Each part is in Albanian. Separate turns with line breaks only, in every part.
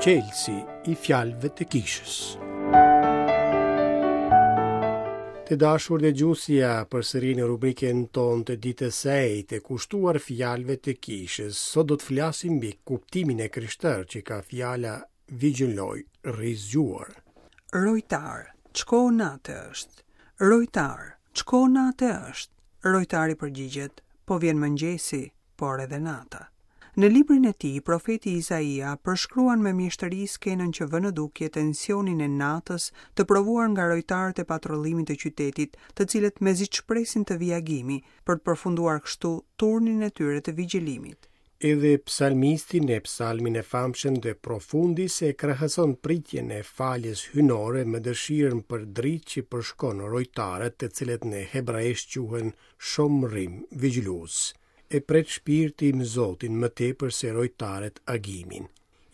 Çelësi i fjalëve të kishës. Të dashur dëgjues, ja përsëri në rubrikën tonë të ditës së enjte, kushtuar fjalëve të kishës. Sot do të flasim mbi kuptimin e krishterë që ka fjala vigjiloj, rri zgjuar.
Rojtar, ç'kohë nate është? Rojtar, ç'kohë nate është? Rojtari përgjigjet, po vjen mëngjesi, por edhe nata. Në librin e tij, profeti Izaia përshkruan me mjeshtëri skenën që vë në dukje tensionin e natës të provuar nga rojtarët e patrullimit të qytetit, të cilët mezi ç'presin të vijë agimi, për të përfunduar kështu turnin e tyre të vigjilimit.
Edhe psalmisti në psalmin e famshëm De Profundis e krahason pritjen e faljes hyjnore me dëshirën për dritë që përshkon rojtarët, të cilët në hebraisht quhen shomrim, vigjilues. E pret shpirti im Zotin më tepër se rojtarët agimin.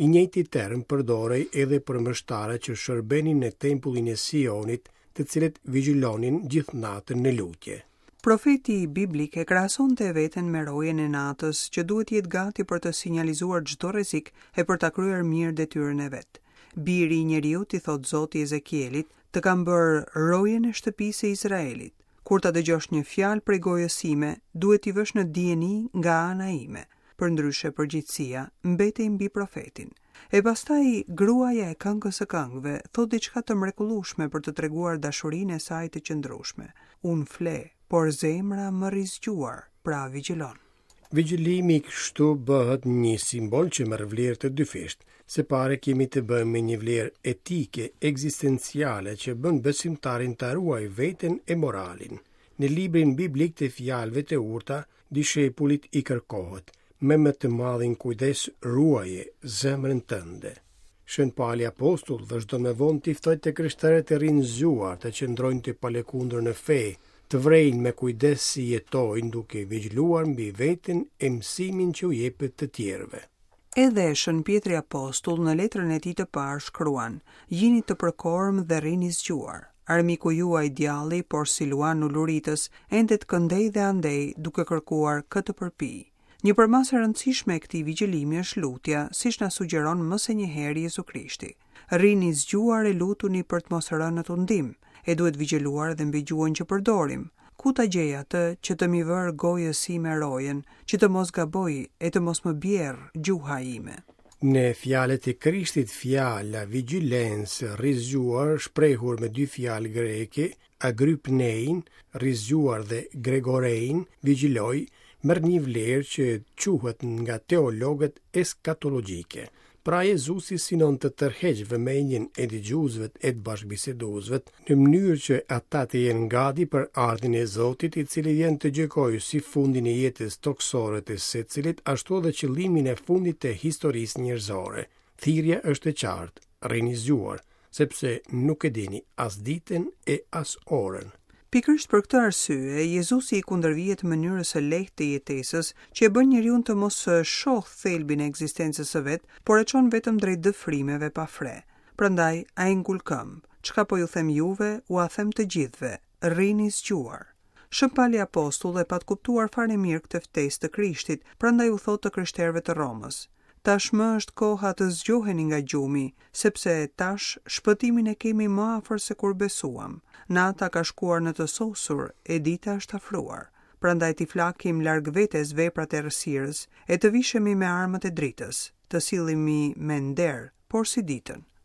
I njëjti term përdorej edhe për meshtarët që shërbenin në tempullin e Sionit, të cilët vigjilonin gjithë natën në lutje.
Profeti biblik e krahasonte veten me rojen e natës, që duhet të jetë gati për të sinjalizuar çdo rrezik e për ta kryer mirë detyrën e vet. Biri i njeriut, i thotë Zoti Ezekielit, të kam bërë rojen e shtëpisë së Izraelit. Kur ta dëgjosh një fjalë prej gojës sime, duhet t'i vësh në dijeni nga ana ime. Përndryshe përgjegjësia mbetej mbi profetin. E pastaj gruaja e këngës së këngëve thotë diçka të mrekullueshme për të treguar dashurinë e saj të qëndrueshme. Unë fle, por zemra më rri zgjuar, pra vigjilon.
Vigjilimi kështu bëhet një simbol që merr vlerë të dyfishtë. Së pari kemi të bëjmë me një vlerë etike, ekzistenciale që bën besimtarin ta ruajë veten e moralin. Në librin biblik të Fjalëve të Urta, dishepullit i kërkohet, me më të madhin kujdes ruaje zemrën tënde. Shën Pali Apostull vazhdon më vonë t'i ftojë të krishterët të rrinë zgjuar, të qëndrojnë të palëkundur në fe, të vrejnë me kujdes si jetojnë duke vigjiluar mbi veten e mësimin që u jepet të tjerëve.
Edhe Shën Pjetri Apostull në letrën e tij të parë shkruan, Jini të përkormë dhe rrini zgjuar. Armiku juaj djalli, porsi luan uluritës, endet këndej dhe andej duke kërkuar kë të përpijë. Një përmasë e rëndësishme e këtij vigjëlimi është lutja, siç na sugjeron më se një herë Jezu Krishti. Rrini zgjuar e lutuni për të mos rënë në tundim, e duhet vigjëluar edhe mbi gjuhën që përdorim. Ku ta gjej atë që të m'i vërë gojës sime rojën, që të mos gaboj e të mos më bjerrë gjuha ime?
Në fjalët e Krishtit fjala vigjilens, rri zgjuar, shprehur me dy fjalë greke, agrypnein, rri zgjuar dhe gregorein, vigjiloj, merr një vlerë që quhet nga teologët eskatologjike. Pra Jezusi synon të tërheqë vëmendjen e dëgjuesve e të bashkëbiseduesve në mënyrë që ata të jenë gati për ardhjen e Zotit, i cili vjen të gjykojë si fundin e jetës tokësore të secilit, ashtu edhe qëllimin e fundit të historisë njerëzore. Thirrja është e qartë, rrini zgjuar, sepse nuk e dini as ditën e as orën.
Pikërisht për këtë arsye, Jezusi i kundërvihet mënyrës së lehtë të jetesës, që e bën njeriun të mos shohë thelbin e ekzistencës së vet, por e çon vetëm drejt dëfrimeve pa fre. Prandaj, ai ngul këmbë, Çka po ju them juve, ua them të gjithëve, rrini zgjuar. Shën Pali Apostull e pat kuptuar fare mirë këtë ftesë të Krishtit, prandaj u thotë të krishterëve të Romës, Tashmë është koha të zgjoheni nga gjumi, sepse tash shpëtimin e kemi më afër se kur besuam. Nata ka shkuar në të sosur, e dita është afruar. Prandaj t'i flakim larg vetes veprat e errësirës, e të vishemi me armët e dritës, të sillemi me nder, porsi ditën.